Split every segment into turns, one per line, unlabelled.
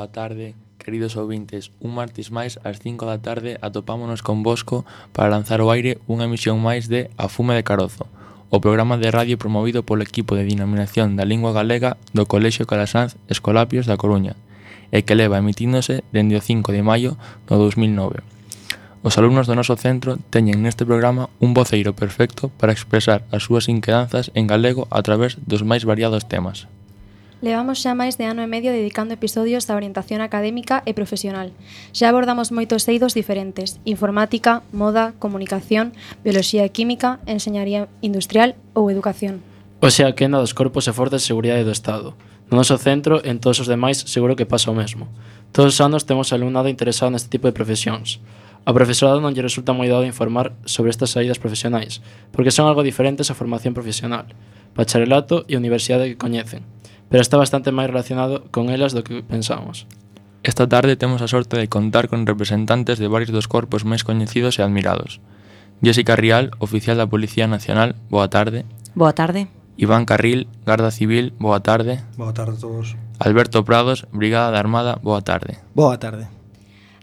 boa tarde, queridos ouvintes. Un martes máis, ás 5 da tarde, atopámonos convosco para lanzar ao aire unha emisión máis de A Fume de Carozo, o programa de radio promovido polo equipo de denominación da lingua galega do Colexio Calasanz Escolapios da Coruña, e que leva emitíndose dende o 5 de maio do 2009. Os alumnos do noso centro teñen neste programa un voceiro perfecto para expresar as súas inquedanzas en galego a través dos máis variados temas.
Levamos xa máis de ano e medio dedicando episodios da orientación académica e profesional. Xa abordamos moitos eidos diferentes: informática, moda, comunicación, bioloxía e química, enseñaría industrial ou educación.
Hoxe a quenda dos corpos e forzas de seguridade do Estado. No noso centro e en todos os demais seguro que pasa o mesmo. Todos os anos temos alumnado interesado neste tipo de profesións. Ao profesorado non lle resulta moi dado informar sobre estas saídas profesionais, porque son algo diferentes á formación profesional, bacharelato e universidade que coñecen, pero está bastante máis relacionado con elas do que pensamos.
Esta tarde temos a sorte de contar con representantes de varios dos corpos máis coñecidos e admirados. Jessica Rial, oficial da Policía Nacional, boa tarde.
Boa tarde.
Iván Carril, Garda Civil, boa tarde.
Boa tarde a todos.
Alberto Prados, Brigada da Armada, boa tarde.
Boa tarde.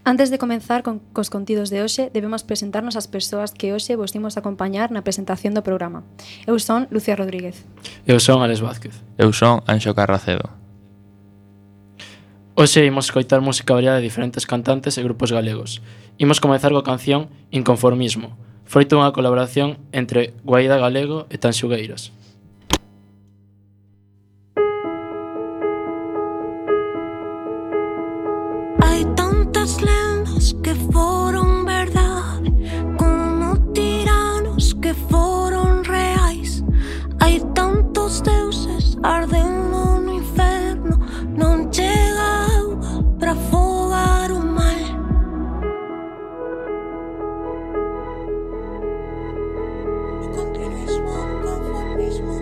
Antes de comenzar cos contidos de hoxe, debemos presentarnos as persoas que hoxe vos imos acompañar na presentación do programa. Eu son Lucía Rodríguez.
Eu son Alex Vázquez.
Eu son Anxo Carracedo.
Hoxe imos escoitar música variada de diferentes cantantes e grupos galegos. Imos comezar coa canción Inconformismo, froito dunha colaboración entre Guaída Galego e Tanxugueiras.
Que foron verdade, como tiranos que foron reais. Hai tantos deuses ardendo no inferno, non chega auga para afogar o mal. O continuismo, o conformismo.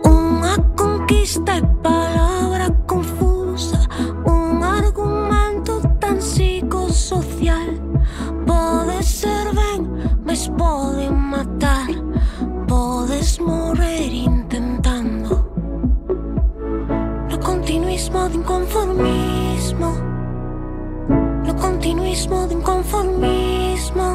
Unha conquista é palabra confusa, un argumento tan psicosocial. Pode ser ben, mas pode matar. Podes morrer intentando. No continuismo de inconformismo. No continuismo de inconformismo.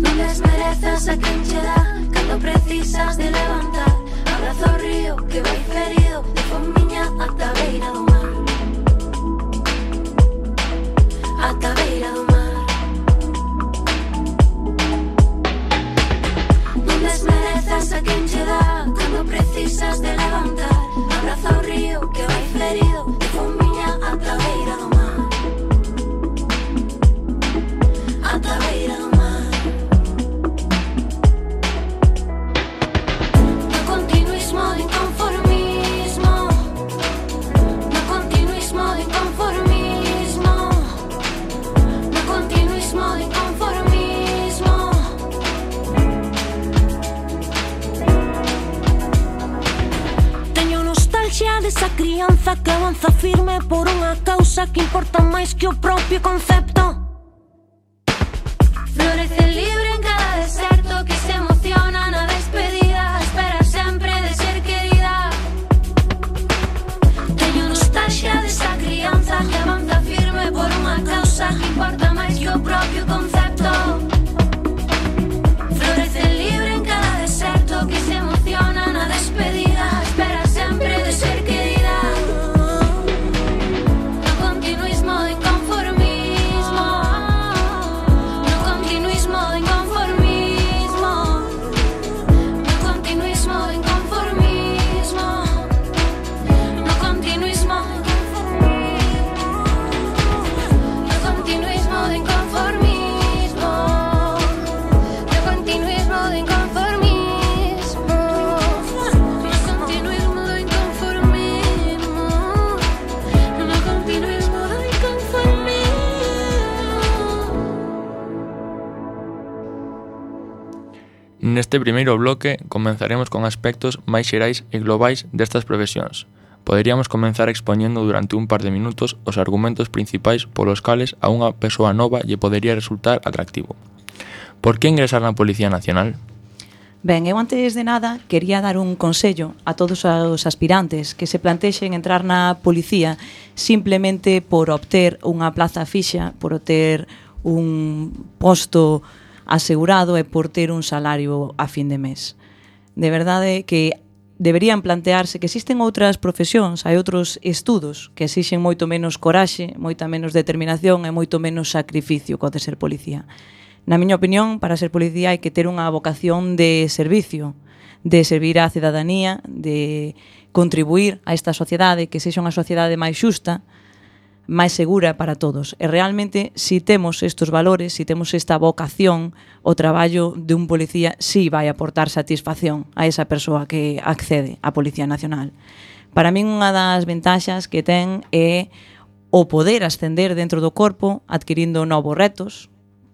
Non desmerezas a quen che dá cando precisas de levantar. Abrazo o río que vai ferido de fomiña ata a beira do mar. Ata a beira do mar. Non desmerezas a quen che dá cando precisas de levantar. Abraza o río que vai ferido de fomiña ata a beira do mar. Ata a beira do mar. No continuismo de inconformismo. No continuismo de inconformismo. No continuismo de inconformismo. Teño nostalgia desa crianza que avanza firme por unha causa que importa máis que o propio concepto. Florece libre en cada deserto que se emociona na despedida. Espera sempre de ser querida. Teño nostalgia desa crianza que avanza firme por unha causa que importa máis que o propio concepto. Florece libre en cada deserto que se emociona na despedida. Espera sempre de ser querida. No continuismo de inconformismo. No continuismo de inconformismo. No continuismo de inconformismo. No continuismo de inconformismo. No continuismo de inconformismo. No continuismo de inconformismo. No continuismo de inconformismo. No continuismo de inconformismo.
Neste primeiro bloque comenzaremos con aspectos máis xerais e globais destas profesións. Poderíamos comenzar expoñendo durante un par de minutos os argumentos principais polos cales a unha persoa nova lle podería resultar atractivo. Por que ingresar na Policía Nacional?
Ben, eu antes de nada quería dar un consello a todos os aspirantes que se plantexen entrar na policía simplemente por obter unha plaza fixa, por obter un posto asegurado e por ter un salario a fin de mes. De verdade que deberían plantearse que existen outras profesións, hai outros estudos que exixen moito menos coraxe, moita menos determinación e moito menos sacrificio que o de ser policía. Na miña opinión, para ser policía hai que ter unha vocación de servicio, de servir á cidadanía, de contribuir a esta sociedade, que sexa unha sociedade máis xusta, máis segura para todos. E realmente, si temos estes valores, si temos esta vocación, o traballo de un policía sí vai aportar satisfacción a esa persoa que accede á Policía Nacional. Para min, unha das ventaxas que ten é o poder ascender dentro do corpo, adquirindo novos retos,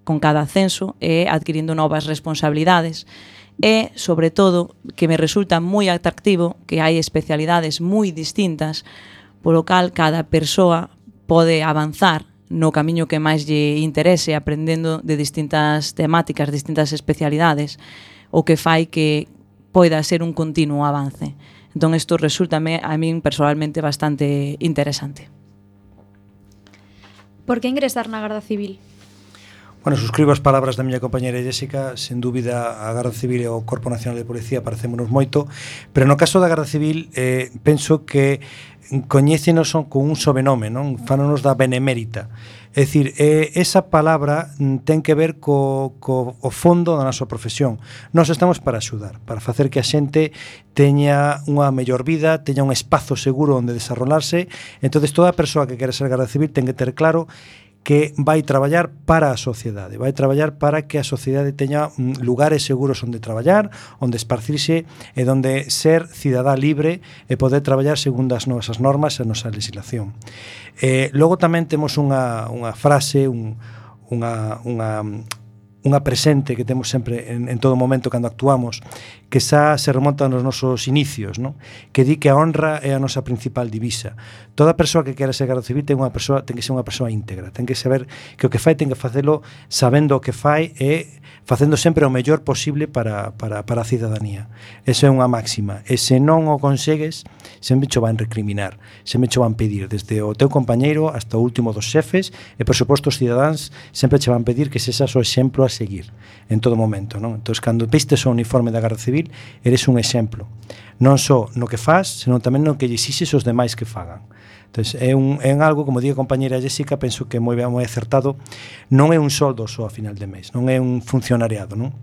con cada ascenso e adquirindo novas responsabilidades. E, sobre todo, que me resulta moi atractivo que hai especialidades moi distintas, polo cal cada persoa pode avanzar no camiño que máis lle interese, aprendendo de distintas temáticas, distintas especialidades, o que fai que poida ser un continuo avance. Entón, isto resúltame a min personalmente bastante interesante.
Por que ingresar na Garda Civil?
Bueno, suscribo as palabras da miña compañera Jéssica. Sen dúbida, a Garda Civil e o Corpo Nacional de Policía parecémonos moito, pero no caso da Garda Civil penso que coñécenos con un sobrenome, non? Fánonos da benemérita. É dicir, esa palabra ten que ver co fondo da nosa profesión. Nós estamos para axudar, para facer que a xente teña unha mellor vida, teña un espazo seguro onde desarrollarse. Entonces, toda a persoa que quere ser Garda Civil ten que ter claro que vai traballar para a sociedade, vai traballar para que a sociedade teña lugares seguros onde traballar, onde esparcirse e onde ser cidadá libre e poder traballar segundo as nosas normas e a nosa legislación. Logo tamén temos unha frase, unha presente que temos sempre en todo momento cando actuamos, que xa se remonta nos nosos inicios, non? Que di que a honra é a nosa principal divisa. Toda persoa que quera ser Garda Civil ten que ser unha persoa íntegra, ten que saber que o que fai ten que facelo sabendo o que fai e facendo sempre o mellor posible para a cidadanía. Esa é unha máxima. E se non o consegues, sempre cho van recriminar, sempre cho van pedir, desde o teu compañeiro hasta o último dos xefes, e por suposto os cidadáns sempre che van pedir que sexas o exemplo a seguir en todo momento, non? Entón, cando vistes o uniforme da Garda Civil, eres un exemplo, non só no que faz, senón tamén no que lle exixes os demais que fagan. Entón, é algo, como di a compañera Jéssica, penso que moi acertado, non é un soldo só a final de mes, non é un funcionariado, non?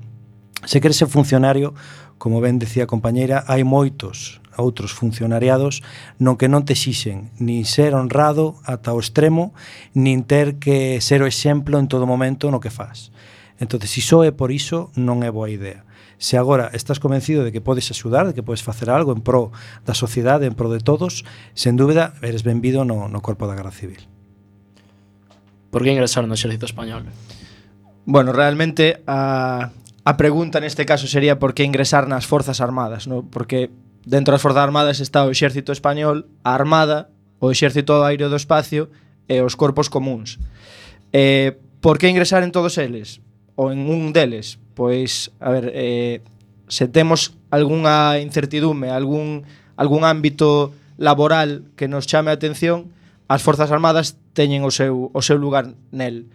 Se queres ser funcionario, como ben decía a compañera, hai moitos outros funcionariados non que non te exixen nin ser honrado ata o extremo, nin ter que ser o exemplo en todo momento no que faz. Entón, se só é por iso, non é boa idea. Se agora estás convencido de que podes axudar, de que podes facer algo en pro da sociedade, en pro de todos, sen dúbida, eres benvido no Corpo da Garda Civil.
Por que ingresar no Exército Español?
Bueno, realmente a pregunta neste caso sería por que ingresar nas Forzas Armadas, ¿no? Porque dentro das Forzas Armadas está o Exército Español, a Armada, o Exército Aéreo do Espacio e os corpos comuns. Por que ingresar en todos eles? Ou en un deles? Pois, a ver, se temos algunha incertidume, algún ámbito laboral que nos chame a atención, as Forzas Armadas teñen o seu lugar nel.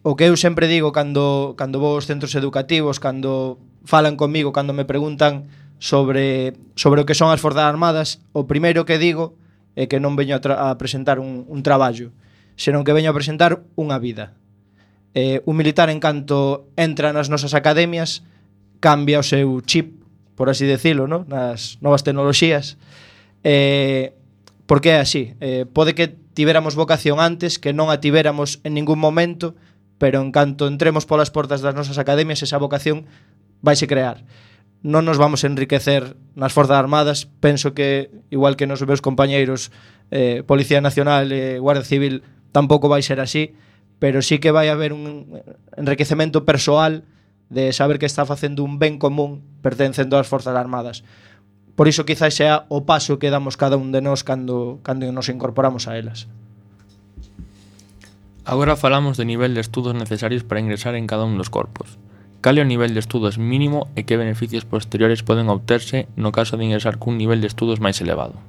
O que eu sempre digo cando vou aos centros educativos, cando falan comigo, cando me preguntan sobre o que son as Forzas Armadas, o primeiro que digo é que non veño a presentar un traballo, senón que veño a presentar unha vida. Un militar, en canto entra nas nosas academias, cambia o seu chip, por así decirlo, ¿no? Nas novas tecnoloxías, porque é así. Pode que tivéramos vocación antes, que non a tivéramos en ningún momento, pero en canto entremos polas portas das nosas academias, esa vocación vaise crear. Non nos vamos a enriquecer nas Forzas Armadas. Penso que, igual que nos meus compañeiros Policía Nacional e Guardia Civil, tampouco vai ser así, pero sí que vai haber un enriquecemento persoal de saber que está facendo un ben común pertencendo ás Forzas Armadas. Por iso quizás sea o paso que damos cada un de nós cando nos incorporamos a elas.
Agora falamos do nivel de estudos necesarios para ingresar en cada un dos corpos. Cal é o nivel de estudos mínimo e que beneficios posteriores poden obterse no caso de ingresar cun nivel de estudos máis elevado?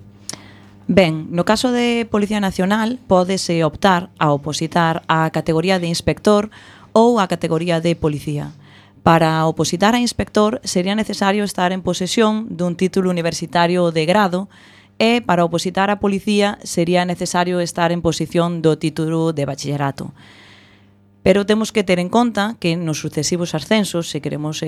Ben, no caso de Policía Nacional, pódese optar a opositar á categoría de inspector ou á categoría de policía. Para opositar a inspector sería necesario estar en posesión dun título universitario de grado e para opositar a policía sería necesario estar en posición do título de bachillerato. Pero temos que ter en conta que nos sucesivos ascensos, se queremos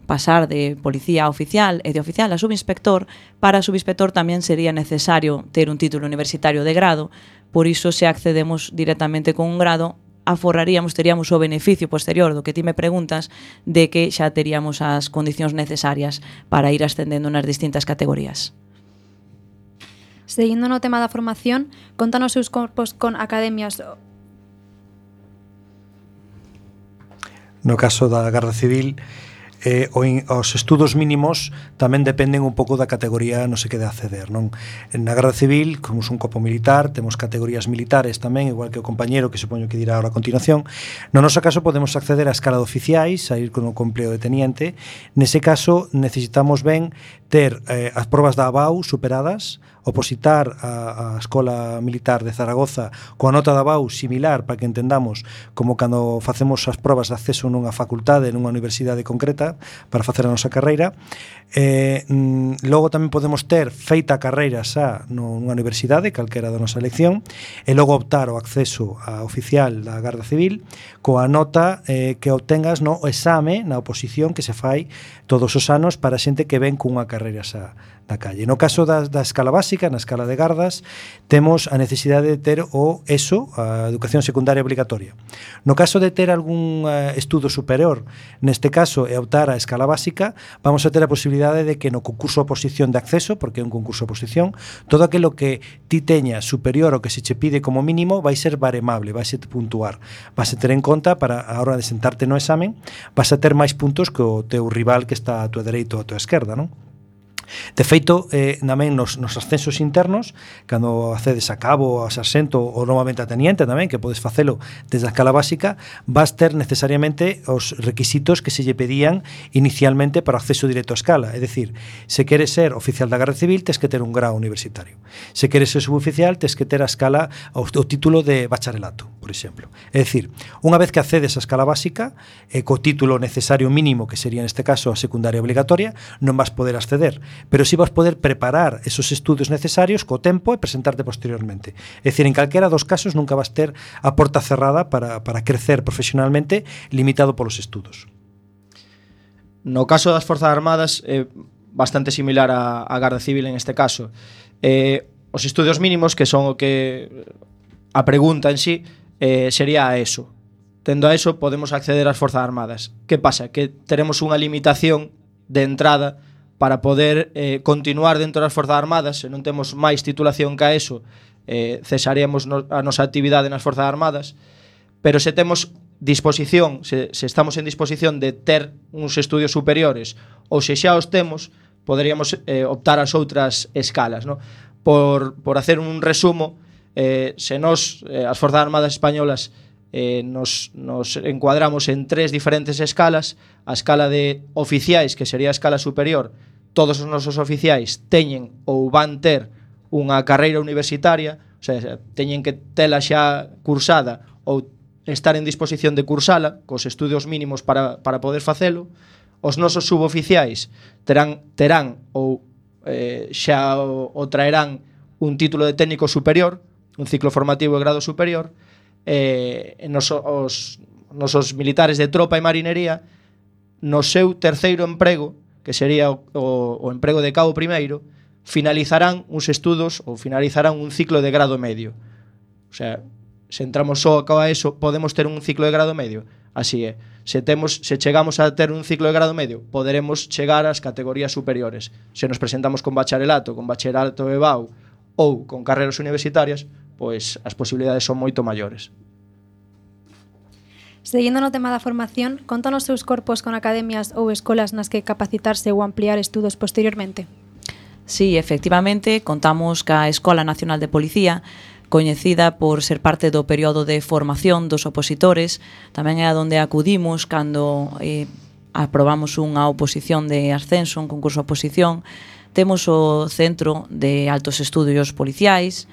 pasar de policía a oficial e de oficial a subinspector, para subinspector tamén sería necesario ter un título universitario de grado, por iso se accedemos directamente con un grado, teríamos o beneficio posterior do que ti me preguntas de que xa teríamos as condicións necesarias para ir ascendendo nas distintas categorías.
Seguindo no tema da formación, contan os seus corpos con academias.
No caso da Garda Civil, os estudos mínimos tamén dependen un pouco da categoría no se que de acceder, non? Na Garda Civil, como un corpo militar, temos categorías militares tamén, igual que o compañero que supoño que dirá ahora a continuación. No noso caso podemos acceder á escala de oficiais, a ir con o empleo de teniente. Nese caso necesitamos ben ter as probas da ABAU superadas, opositar a Escola Militar de Zaragoza coa nota da BAU similar, para que entendamos como cando facemos as probas de acceso nunha facultade, nunha universidade concreta para facer a nosa carreira. Logo tamén podemos ter feita a carreira xa nunha universidade, calquera da nosa elección, e logo optar o acceso a oficial da Garda Civil coa nota que obtengas no exame, na oposición que se fai todos os anos para xente que ven cunha carreira xa da calle. No caso da escala básica, na escala de gardas, temos a necesidade de ter o ESO, a educación secundaria obligatoria. No caso de ter algún estudo superior, neste caso, e optar a escala básica, vamos a ter a posibilidade de que no concurso de oposición de acceso, porque é un concurso de oposición, todo aquilo que ti teña superior ao que se che pide como mínimo vai ser baremable, vai ser puntuar. Vas a ter en conta para a hora de sentarte no examen, vas a ter máis puntos que o teu rival que está a tua dereita ou a tua esquerda, non? De feito, tamén nos ascensos internos, cando accedes a cabo, a sarxento ou novamente a teniente tamén, que podes facelo desde a escala básica, vas ter necesariamente os requisitos que se lle pedían inicialmente para o acceso directo á escala. É dicir, se queres ser oficial da Garda Civil, tes que ter un grau universitario. Se queres ser suboficial, tes que ter a escala, o título de bacharelato, por exemplo. É dicir, unha vez que accedes á escala básica, co título necesario mínimo, que sería neste caso a secundaria obligatoria, non vas poder acceder, pero si vas poder preparar esos estudos necesarios co tempo e presentarte posteriormente. É dicir, en calquera dos casos nunca vas ter a porta cerrada para crecer profesionalmente, limitado polos estudos.
No caso das Forzas Armadas é bastante similar á Garda Civil en este caso. Os estudios mínimos, que son o que a pregunta en sí, sería a ESO. Tendo a ESO podemos acceder ás Forzas Armadas. Que pasa? Que teremos unha limitación de entrada para poder continuar dentro das Forzas Armadas. Se non temos máis titulación que a ESO, cesaríamos a nosa actividade nas Forzas Armadas, pero se temos disposición, se estamos en disposición de ter uns estudios superiores, ou se xa os temos, poderíamos optar ás outras escalas, ¿no? Por hacer un resumo, se nos, as Forzas Armadas españolas, nos encuadramos en 3 diferentes escalas. A escala de oficiais, que sería a escala superior, todos os nosos oficiais teñen ou van ter unha carreira universitaria, o sea, teñen que tela xa cursada ou estar en disposición de cursala cos estudios mínimos para poder facelo. Os nosos suboficiais terán ou xa o traerán un título de técnico superior, un ciclo formativo de grado superior. Os nosos militares de tropa e marinería, no seu terceiro emprego, que sería o emprego de cabo primeiro, finalizarán uns estudos ou finalizarán un ciclo de grado medio. O sea, se entramos só a eso, podemos ter un ciclo de grado medio. Así é. Se chegamos a ter un ciclo de grado medio, poderemos chegar ás categorías superiores. Se nos presentamos con bacharelato e BAU ou con carreras universitarias, pois as posibilidades son moito maiores.
Seguindo no tema da formación, contan os seus corpos con academias ou escolas nas que capacitarse ou ampliar estudos posteriormente?
Sí, efectivamente, contamos ca Escola Nacional de Policía, coñecida por ser parte do período de formación dos opositores. Tamén é a donde acudimos cando aprobamos unha oposición de ascenso, un concurso de oposición. Temos o Centro de Altos Estudios Policiais,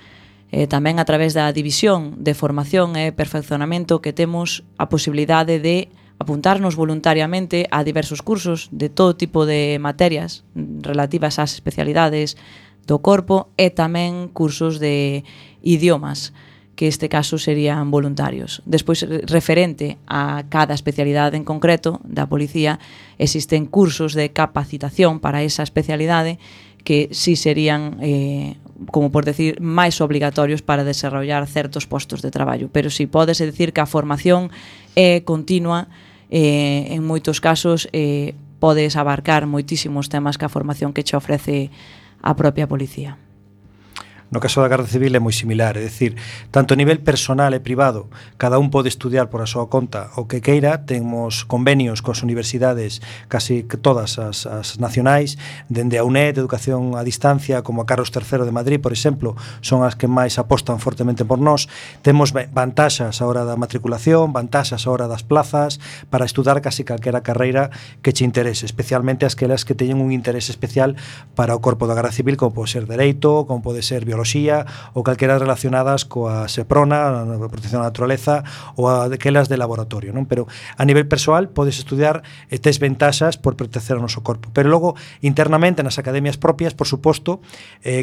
tamén a través da División de Formación e Perfeccionamento, que temos a posibilidade de apuntarnos voluntariamente a diversos cursos de todo tipo de materias relativas ás especialidades do corpo e tamén cursos de idiomas, que este caso serían voluntarios. Despois, referente a cada especialidade en concreto da policía, existen cursos de capacitación para esa especialidade que sí serían, como por decir, máis obligatorios para desarrollar certos postos de traballo. Pero sí, pódese decir que a formación é continua, en moitos casos podes abarcar moitísimos temas que a formación que che ofrece a propia policía.
No caso da Garda Civil é moi similar, é dicir, tanto a nivel personal e privado, cada un pode estudiar por a súa conta o que queira. Temos convenios coas universidades, casi todas as nacionais, dende a UNED de Educación a Distancia, como a Carlos III de Madrid, por exemplo, son as que máis apostan fortemente por nós. Temos vantaxas a hora da matriculación, vantaxas a hora das plazas, para estudar casi calquera carreira que che interese, especialmente aquelas que teñen un interese especial para o corpo da Garda Civil, como pode ser Dereito, como pode ser Biología, ou calquera relacionadas coa SEPRONA, a protección da naturaleza, ou aquelas de laboratorio, non? Pero a nivel persoal podes estudiar e tes ventaxas por pertencer ao noso corpo. Pero logo, internamente, nas academias propias, por suposto,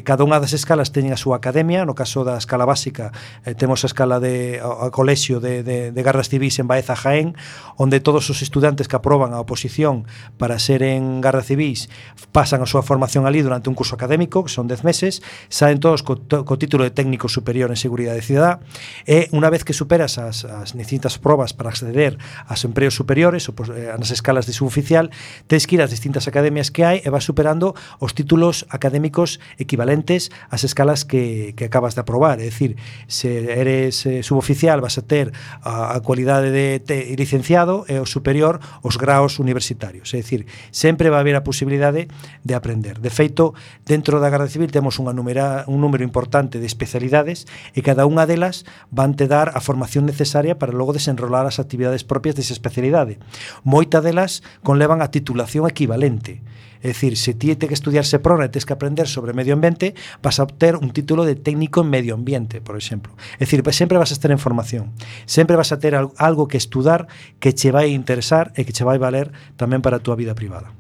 cada unha das escalas teñen a súa academia. No caso da escala básica, temos a escala de a colexio de Gardas Civis en Baeza, Jaén, onde todos os estudantes que aproban a oposición para seren Garda Civis pasan a súa formación ali durante un curso académico, que son 10 meses, saen todos co título de técnico superior en seguridade cidadá, e unha vez que superas as distintas probas para acceder aos empregos superiores ou nas escalas de suboficial, tens que ir ás distintas academias que hai e vas superando os títulos académicos equivalentes ás escalas que acabas de aprobar. É dicir, se eres suboficial vas a ter a cualidade de licenciado, e o superior os graos universitarios. É dicir, sempre vai haber a posibilidade de aprender. De feito, dentro da Garda Civil temos un número importante de especialidades, e cada unha delas van te dar a formación necesaria para logo desenrolar as actividades propias desa especialidade. Moita delas conlevan a titulación equivalente. É dicir, se ti te que estudiar SEPRONA e tes que aprender sobre medio ambiente, vas a obter un título de técnico en medio ambiente, por exemplo. É dicir, sempre vas a estar en formación, sempre vas a ter algo que estudar que che vai interesar e que che vai valer tamén para a túa vida privada.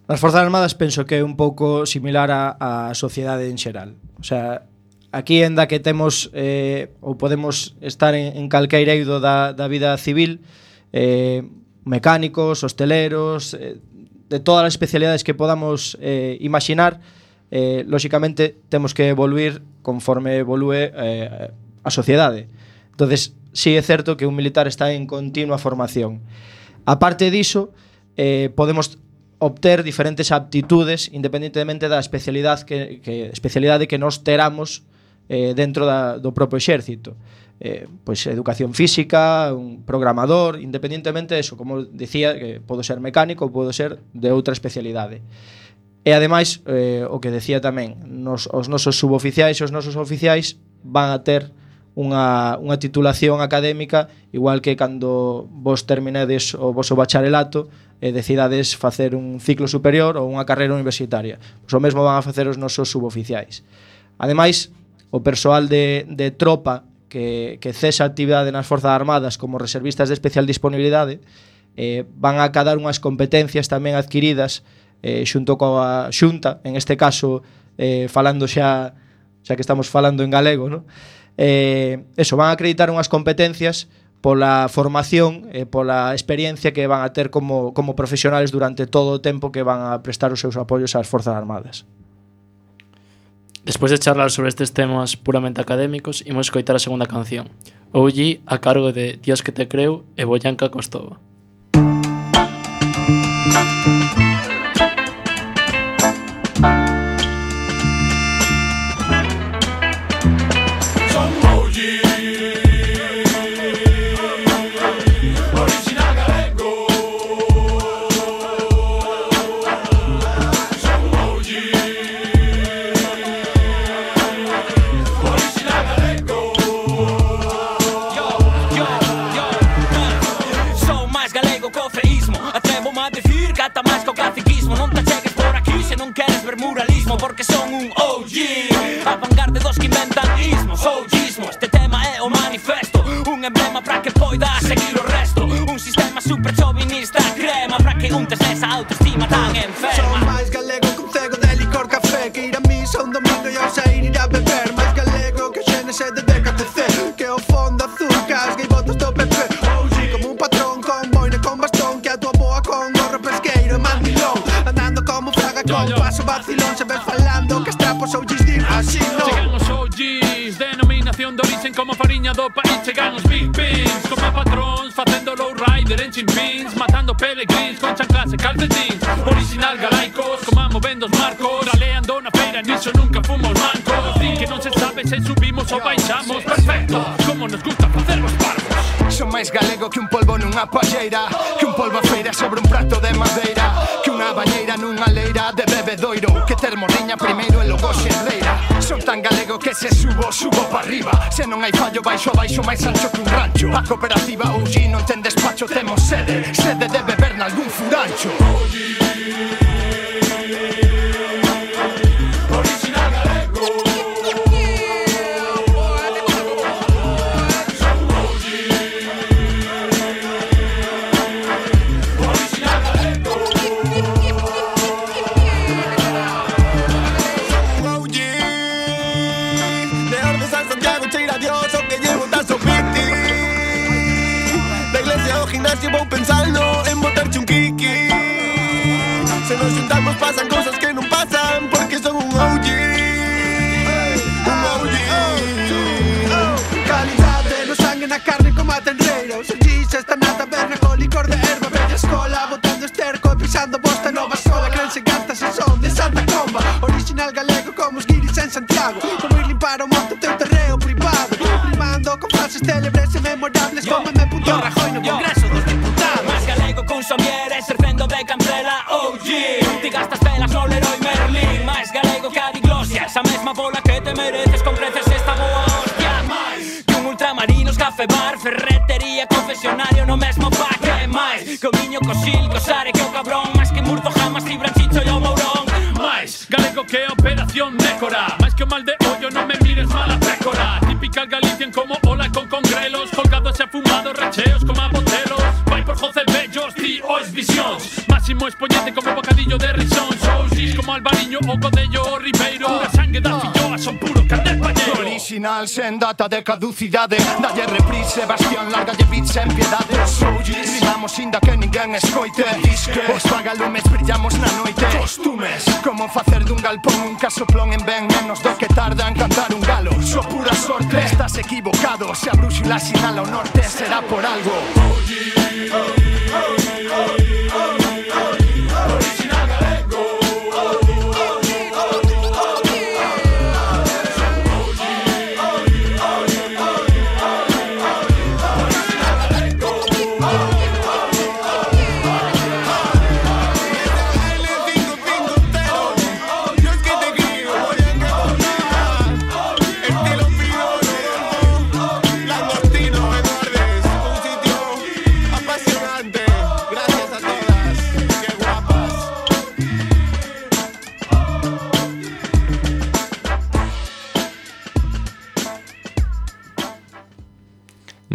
Nas Forzas Armadas penso que é un pouco similar á sociedade en xeral. O sea, aquí enda que temos ou podemos estar en calqueira eido da vida civil, mecánicos, hosteleros, de todas as especialidades que podamos imaginar, lóxicamente temos que evoluir conforme evolúe a sociedade. Entonces, sí é certo que un militar está en continua formación. A parte diso, podemos obter diferentes aptitudes independentemente da especialidade que nos teramos dentro do propio exército. Pois educación física, un programador, independentemente de eso, como decía, que podo ser mecánico ou podo ser de outra especialidade. E ademais, o que decía tamén, os nosos suboficiais e os nosos oficiais van a ter unha titulación académica, igual que cando vos terminades o voso bacharelato e decidades facer un ciclo superior ou unha carreira universitaria. Pois o mesmo van a facer os nosos suboficiais. Ademais, o persoal de tropa que cesa a actividade nas Forzas Armadas como reservistas de especial disponibilidade van a acadar unhas competencias tamén adquiridas xunto coa Xunta, en este caso falando xa que estamos falando en galego, ¿no? Van a acreditar unhas competencias pola formación e pola experiencia que van a ter como profesionales durante todo o tempo que van a prestar os seus apoios ás Forzas Armadas.
Despois de charlar sobre estes temas puramente académicos, imos escoitar a segunda canción, OG, a cargo de Dios que te creu e Boyanka Kostova.
Até os que inventan ismos ou gismo. Este tema é o manifesto, un emblema para que poida seguir o resto. Un sistema super chauvinista crema para que untes nesa autoestima tan enferma.
Son máis galego que un cego de licor café, que ir a misa un domingo e ao sair ir a beber. Máis galego que o XNC de DKTC, que o fondo azul casga e botas do PP. OG como un patrón con boina con bastón, que a tua boa con gorro pesqueiro e mandilón. Andando como fraga con paso vacilón, se ves falando que estrapos OGs din así non.
Chegan os OGs, denominación de origen como fariña do país. Chegan os Big Pins, como patróns, facendo low rider en chimpins, matando pelegrins con chanclas e calcetins. Original galaicos, como movendo os marcos, galeando na feira, niso nunca fomos mancos. Din que non se sabe se subimos ou baixamos. Perfecto, como nos gusta facer os parvos.
Son máis galego que un polvo nunha palleira, que un polvo a feira sobre un prato de madeira, que unha bañeira nunha leira de bebedoiro, que ter morriña primeiro e logo xerreira. Son tan galego que se subo pa arriba, se non hai fallo baixo a baixo máis ancho que un rancho. A cooperativa OG non ten despacho, temos sede de beber nalgún furancho.
Original galego.
Vou pensando en botarche un kiki. Se nos juntamos pasan cosas que non pasan, porque son un OG. Un OG. Calidade no sangue, na carne como a tenreira. Os OGs están na taberna con licor de erva. Bella escola, botando esterco e pisando bosta nova sola. Crense gastas e son de Santa Comba. Original galego como os guiris en Santiago. Como ir limpar o monte teu terreo privado. Rimando con frases célebres e memorables como M. Rajoy no Congreso dos Diputados.
Máis galego con Xavier e servendo de cancela OG. Ti gastas velas no Leroy Merlin. Máis galego que a diglosia, esa mesma bola que te mereces con creces esta boa hostia. Máis que un ultramarinos, café bar, ferretería, confesionario no mesmo pack. Máis que o niño cosil, cosare que o cabrón. Máis que Murdo jamás, Fibra, Chicho e o Mourón.
Máis galego que a operación Nécora. Máis que o mal de ollo, non me mires mala pécora. Típica Galician como ola con congrelos, colgados e afumados, recheos como a botelos. Vai por José Bellos, ti ois visións. Máximo exponente como bocadillo de risóns. OGs como Albariño o Codello o Ribeiro. Pura sangue da filloa, son puro candel palleiro.
Original sen data de caducidade. Dalle reprise, Sebastián, largalle beats sen piedade. Os OGs rimamos inda que ninguén escoite. Os vagalumes brillamos na noite. Costumes, como facer dun galpón un casoplón en ben menos do que tarda en cantar un galo. So pura sorte, estás equivocado. Se a brúxula sinala o norte será por algo.
Original galego.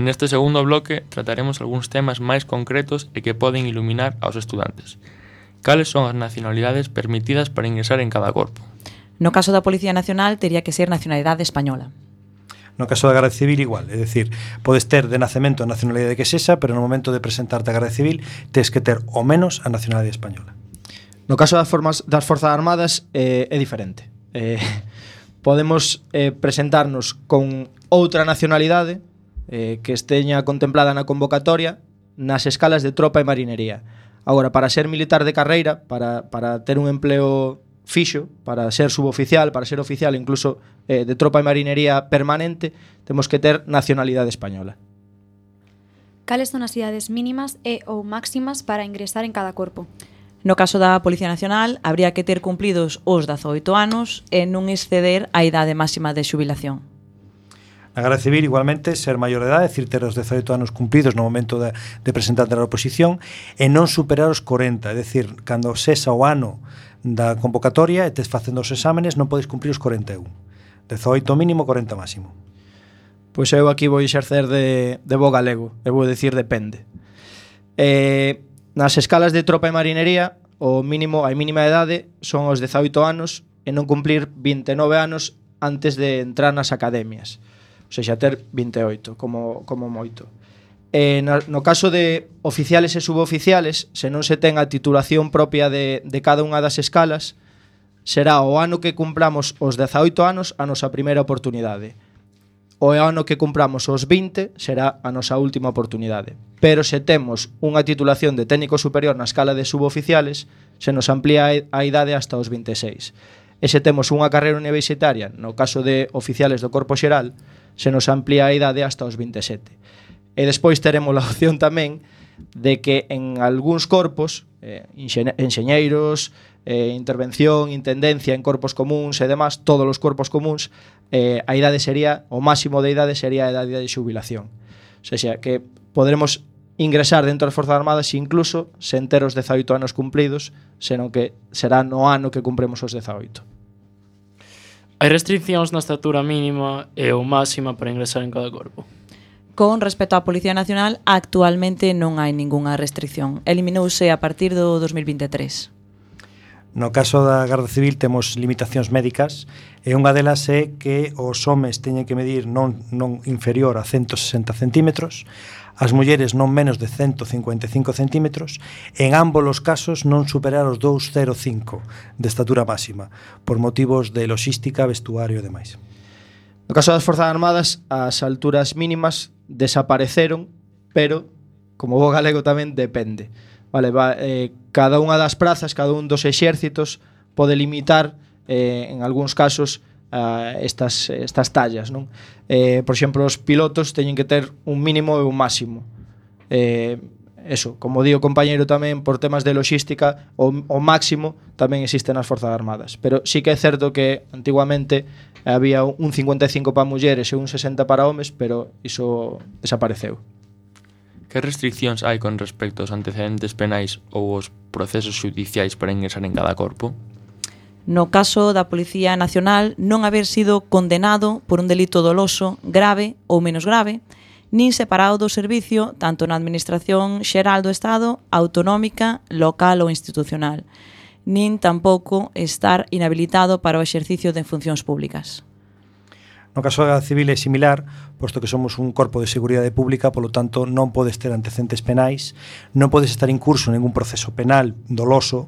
Neste segundo bloque trataremos algúns temas máis concretos e que poden iluminar aos estudantes. Cales son as nacionalidades permitidas para ingresar en cada corpo?
No caso da Policía Nacional tería que ser nacionalidade española.
No caso da Garda Civil igual, é dicir, podes ter de nacemento a nacionalidade que sexa, pero no momento de presentarte a Garda Civil tes que ter ao menos a nacionalidade española.
No caso das Forzas Armadas é diferente. Podemos presentarnos con outra nacionalidade que esteña contemplada na convocatoria nas escalas de tropa e marinería. Agora, para ser militar de carreira, para ter un empleo fixo, para ser suboficial, para ser oficial incluso de tropa e marinería permanente, temos que ter nacionalidade española.
Cales son as idades mínimas e ou máximas para ingresar en cada corpo?
No caso da Policía Nacional, habría que ter cumplidos os 18 anos e non exceder a idade máxima de xubilación.
Na Garda Civil, igualmente, ser maior de edade, é dicir, ter os 18 anos cumplidos no momento de presentarte a oposición e non superar os 40, é dicir, cando sesa o ano da convocatoria e tes facendo os exámenes non podes cumprir os 41. 18 mínimo, 40 máximo.
Pois eu aquí vou exercer de bo galego, e vou dicir depende. Nas escalas de tropa e marinería, a mínima idade son os 18 anos e non cumplir 29 anos antes de entrar nas academias. O sea, ter 28 como moito. No caso de oficiales e suboficiales, se non se ten a titulación propia de cada unha das escalas, será o ano que cumpramos os 18 anos a nosa primeira oportunidade. O ano que cumpramos os 20 será a nosa última oportunidade. Pero se temos unha titulación de técnico superior na escala de suboficiales, se nos amplía a idade hasta os 26. E se temos unha carreira universitaria, no caso de oficiales do Corpo Xeral, se nos amplía a idade hasta os 27. E despois teremos a opción tamén de que en algúns corpos, enxeñeiros, intervención, intendencia en corpos comuns e demás, todos os corpos comuns, a idade sería, o máximo de idade sería a idade de xubilación. O sea, que poderemos ingresar dentro das Forzas Armadas incluso sen ter os 18 anos cumplidos, senón que será no ano que cumpremos os 18.
Hai restriccións na estatura mínima e ou máxima para ingresar en cada corpo?
Con respecto á Policía Nacional, actualmente non hai ningunha restricción. Eliminouse a partir do 2023.
No caso da Garda Civil temos limitacións médicas e unha delas é que os homes teñen que medir non inferior a 160 centímetros, as mulleres non menos de 155 centímetros, en ambos os casos non superar os 2,05 de estatura máxima, por motivos de logística, vestuario e demais.
No caso das Forzas Armadas, as alturas mínimas desapareceron, pero, como bo galego tamén, depende. Vale, cada unha das prazas, cada un dos exércitos pode limitar en algúns casos estas tallas, non? Por exemplo, os pilotos teñen que ter un mínimo e un máximo. Eso, como di o compañeiro tamén, por temas de logística, o máximo tamén existe nas Forzas Armadas. Pero sí que é certo que antiguamente había un 55 para mulleres e un 60 para homes, pero iso desapareceu.
Que restriccións hai con respecto aos antecedentes penais ou os procesos xudiciais para ingresar en cada corpo?
No caso da Policía Nacional, non haber sido condenado por un delito doloso, grave ou menos grave, nin separado do servicio tanto na Administración Xeral do Estado, autonómica, local ou institucional, nin tampouco estar inhabilitado para o exercicio de funcións públicas.
No caso da Civil é similar, posto que somos un corpo de seguridade pública, polo tanto non podes ter antecedentes penais, non podes estar incurso en ningún proceso penal doloso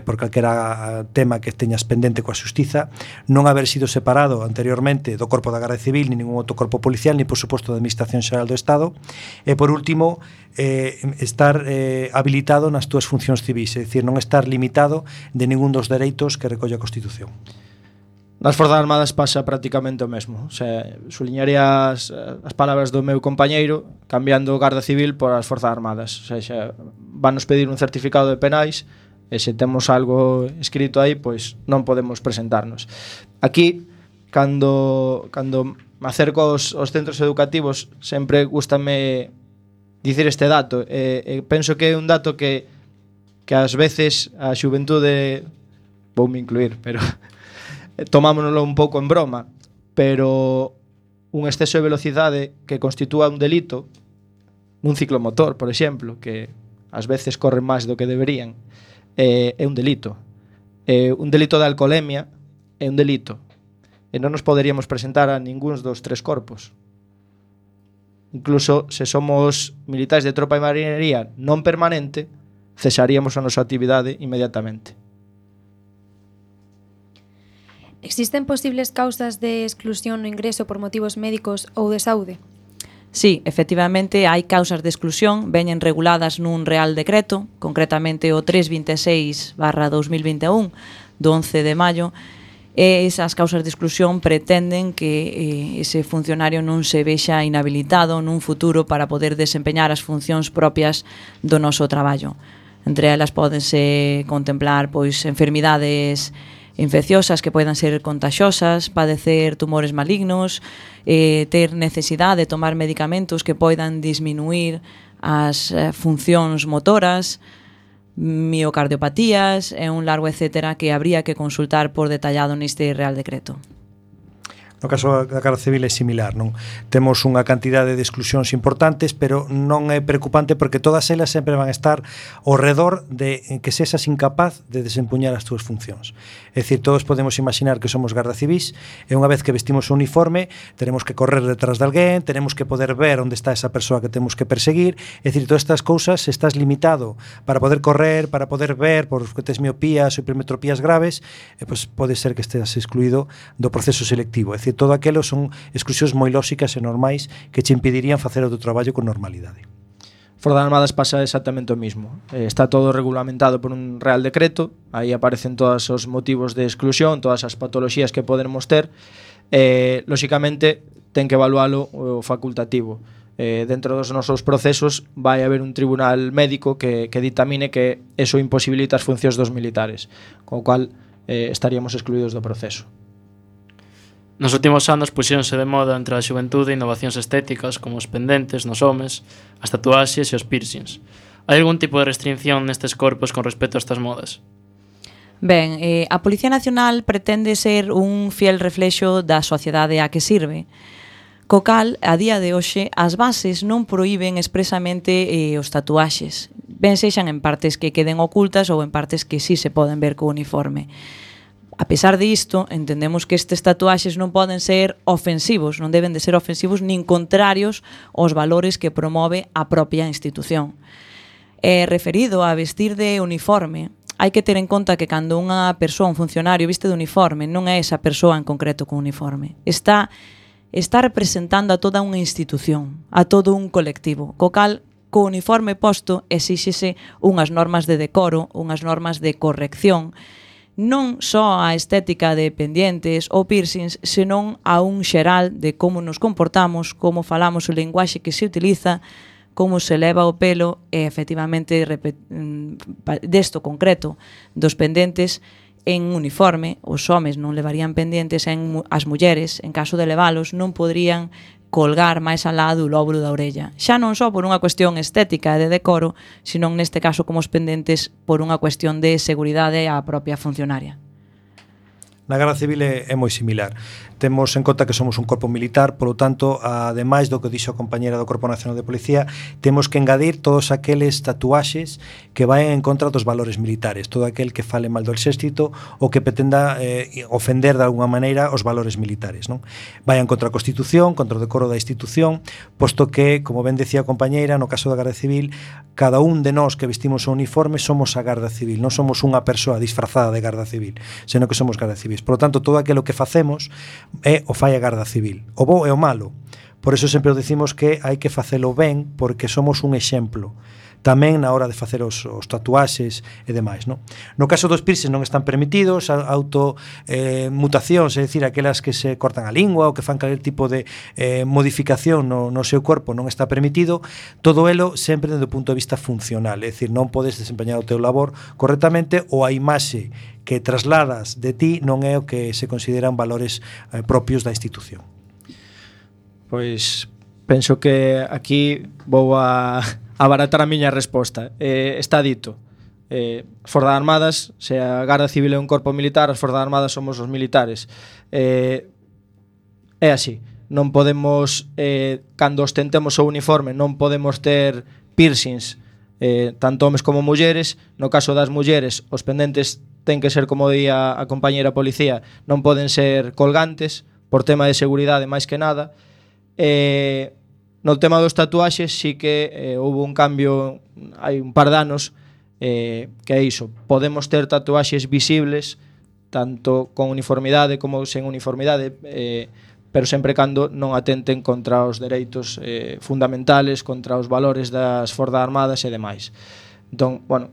por calquera tema que teñas pendente coa xustiza, non haber sido separado anteriormente do corpo da Garda Civil, ni ningún outro corpo policial, ni por suposto da Administración Xeral do Estado, e por último estar habilitado nas túas funcións civis, é dicir, non estar limitado de ningún dos dereitos que recolle a Constitución.
Nas Forzas Armadas pasa prácticamente o mesmo. O sea, suliñaría as palabras do meu compañeiro cambiando Garda Civil por as Forzas Armadas. O sea, vanos pedir un certificado de penais e se temos algo escrito aí, pois non podemos presentarnos. Aquí, cando me acerco aos centros educativos, sempre gústame dicir este dato. Penso que é un dato que ás veces a xuventude, voume incluir, pero tomámonoslo un pouco en broma, pero un exceso de velocidade que constitúa un delito nun ciclomotor, por exemplo, que ás veces corren máis do que deberían, é un delito. Un delito de alcoholemia é un delito. E non nos poderíamos presentar a ningún dos tres corpos. Incluso se somos militares de tropa e marinería non permanente, cesaríamos a nosa actividade inmediatamente.
Existen posibles causas de exclusión no ingreso por motivos médicos ou de saúde?
Sí, efectivamente, hai causas de exclusión, veñen reguladas nun Real Decreto, concretamente o 326/2021, do 11 de maio, e esas causas de exclusión pretenden que ese funcionario non se vexa inhabilitado nun futuro para poder desempeñar as funcións propias do noso traballo. Entre elas pódense contemplar pois enfermidades infecciosas que poidan ser contaxiosas, padecer tumores malignos, ter necesidade de tomar medicamentos que poidan disminuir as funcións motoras, miocardiopatías e un largo etcétera que habría que consultar por detallado neste Real Decreto.
No caso da Garda Civil é similar, non? Temos unha cantidade de exclusións importantes, pero non é preocupante porque todas elas sempre van a estar ao redor de que sexas incapaz de desempuñar as túas funcións. É dicir, todos podemos imaginar que somos garda civís e unha vez que vestimos o uniforme teremos que correr detrás de alguén, teremos que poder ver onde está esa persoa que temos que perseguir. É dicir, todas estas cousas, se estás limitado para poder correr, para poder ver, porque tes miopías ou hipermetropías graves, pues pode ser que estés excluído do proceso selectivo. É dicir, todo aquilo son exclusións moi lóxicas e normais que che impedirían facer o teu traballo con normalidade.
Fora das Armadas pasa exactamente o mismo. Está todo regulamentado por un Real Decreto, aí aparecen todos os motivos de exclusión, todas as patoloxías que podemos ter, lóxicamente ten que evalualo o facultativo. Dentro dos nosos procesos vai haber un tribunal médico que ditamine que eso imposibilita as funcións dos militares, con o cual estaríamos excluídos do proceso.
Nos últimos anos puxéronse de moda entre a xuventude innovacións estéticas como os pendentes nos homes, as tatuaxes e os piercings. Hai algún tipo de restricción nestes corpos con respecto a estas modas?
Ben, a Policía Nacional pretende ser un fiel reflexo da sociedade a que sirve. Co cal, a día de hoxe, as bases non proíben expresamente os tatuaxes, ben sexan en partes que queden ocultas ou en partes que sí se poden ver co uniforme. A pesar disto, entendemos que estes tatuaxes non poden ser ofensivos, non deben de ser ofensivos nin contrarios aos valores que promove a propia institución. Referido a vestir de uniforme, hai que ter en conta que cando unha persoa, un funcionario, viste de uniforme, non é esa persoa en concreto con uniforme. Está representando a toda unha institución, a todo un colectivo, co cal, co uniforme posto, exíxese unhas normas de decoro, unhas normas de corrección, non só a estética de pendientes ou piercings, senón a un xeral de como nos comportamos, como falamos, o linguaxe que se utiliza, como se leva o pelo e, efectivamente, desto concreto dos pendentes en uniforme, os homes non levarían pendentes, as mulleres, en caso de levalos, non poderían colgar máis alá do lóbulo da orella. Xa non só por unha cuestión estética e de decoro, senón neste caso como os pendentes por unha cuestión de seguridade á propia funcionaria.
Na Garda Civil é moi similar. Temos en conta que somos un corpo militar, polo tanto, ademais do que dixo a compañera do Corpo Nacional de Policía, temos que engadir todos aqueles tatuaxes que vayan en contra dos valores militares, todo aquel que fale mal do exército ou que pretenda ofender de alguma maneira os valores militares, non? Vayan contra a Constitución, contra o decoro da institución, posto que, como ben decía a compañeira, no caso da Garda Civil, cada un de nós que vestimos o uniforme somos a Garda Civil, non somos unha persoa disfrazada de Garda Civil, senón que somos Garda Civis. Por lo tanto, todo aquilo que facemos é o fai a Garda Civil, o bo e o malo. Por eso sempre decimos que hai que facelo ben, porque somos un exemplo tamén na hora de facer os tatuaxes e demais, non? No caso dos piercings non están permitidos, automutacións, é dicir, aquelas que se cortan a lingua ou que fan calquer tipo de modificación no seu corpo non está permitido, todo elo sempre desde o punto de vista funcional, é dicir, non podes desempeñar o teu labor correctamente ou a imaxe que trasladas de ti non é o que se consideran valores propios da institución.
Pois penso que aquí vou a abaratar a miña resposta. Está dito. As Forzas Armadas, se a Garda Civil é un corpo militar, as Forzas Armadas somos os militares. É así. Non podemos, cando ostentemos o uniforme, non podemos ter piercings, tanto homes como mulleres. No caso das mulleres, os pendentes ten que ser, como día a compañera policía, non poden ser colgantes, por tema de seguridade máis que nada. No tema dos tatuaxes sí que houve un cambio hai un par de anos, que é iso, podemos ter tatuaxes visibles tanto con uniformidade como sen uniformidade, pero sempre cando non atenten contra os dereitos fundamentales, contra os valores das Forzas Armadas e demais. Entón, bueno,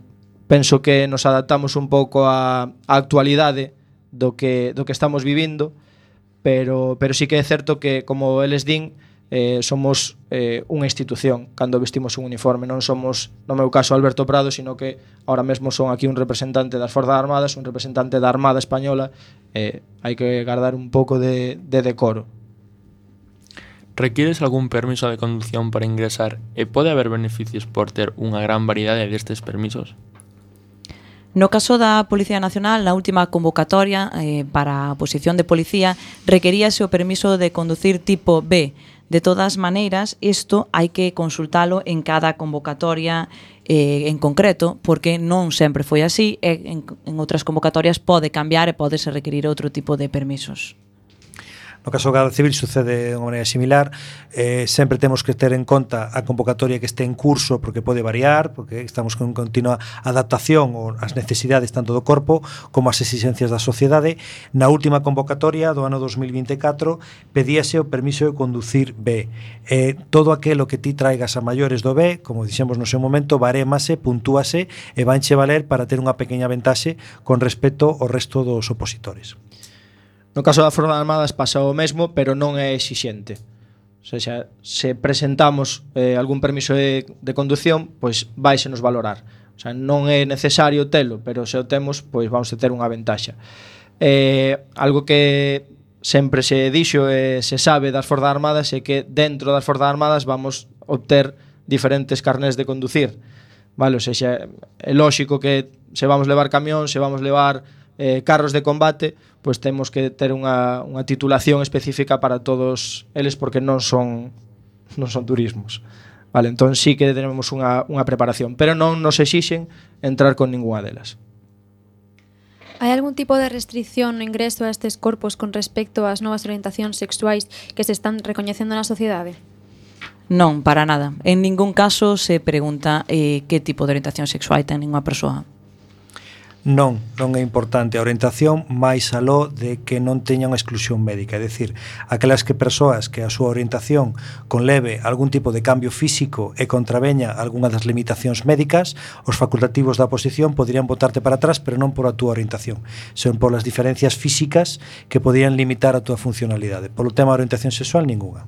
penso que nos adaptamos un pouco á actualidade do que estamos vivindo, pero sí que é certo que, como eles din, somos unha institución cando vestimos un uniforme, non somos, no meu caso, Alberto Prado, sino que ahora mesmo son aquí un representante das Forzas Armadas, un representante da Armada Española, hai que guardar un pouco de decoro.
Requires algún permiso de conducción para ingresar e pode haber beneficios por ter unha gran variedade destes permisos?
No caso da Policía Nacional, na última convocatoria para a posición de policía, requeríase o permiso de conducir tipo B. De todas maneiras, isto hai que consultalo en cada convocatoria en concreto, porque non sempre foi así, e en outras convocatorias pode cambiar e podese requerir outro tipo de permisos.
No caso da Garda Civil sucede de unha maneira similar. Sempre temos que ter en conta a convocatoria que este en curso, porque pode variar, porque estamos con continua adaptación ás necesidades tanto do corpo como ás exigencias da sociedade. Na última convocatoria do ano 2024 pedíase o permiso de conducir B. Todo aquilo que ti traigas a maiores do B, como dixemos no seu momento, barémase, puntúase e vanche valer para ter unha pequena ventaxe con respecto ao resto dos opositores.
No caso das Forzas Armadas pasa o mesmo, pero non é exixente. O sea, se presentamos algún permiso de condución, pois vaise nos valorar. O sea, non é necesario telo, pero se o temos, pois vamos a ter unha ventaxa. Algo que sempre se dixo e se sabe das Forzas Armadas é que dentro das Forzas Armadas vamos obter diferentes carnés de conducir. Vale, o sea, é lógico que se vamos levar camión, se vamos levar carros de combate, pois temos que ter unha titulación específica para todos eles, porque non son turismos. Vale, entón sí que tenemos unha preparación, pero non nos exixen entrar con ningunha delas.
Hai algún tipo de restricción no ingreso a estes corpos con respecto ás novas orientacións sexuais que se están recoñecendo na sociedade?
Non, para nada. En ningún caso se pregunta que tipo de orientación sexual ten unha persoa.
Non é importante a orientación máis aló de que non teña unha exclusión médica, é dicir, aquelas que persoas que a súa orientación conleve algún tipo de cambio físico e contraveña algunha das limitacións médicas, os facultativos da oposición poderían botarte para atrás, pero non por a túa orientación, son por as diferencias físicas que podían limitar a túa funcionalidade. Polo tema da orientación sexual, ningunha.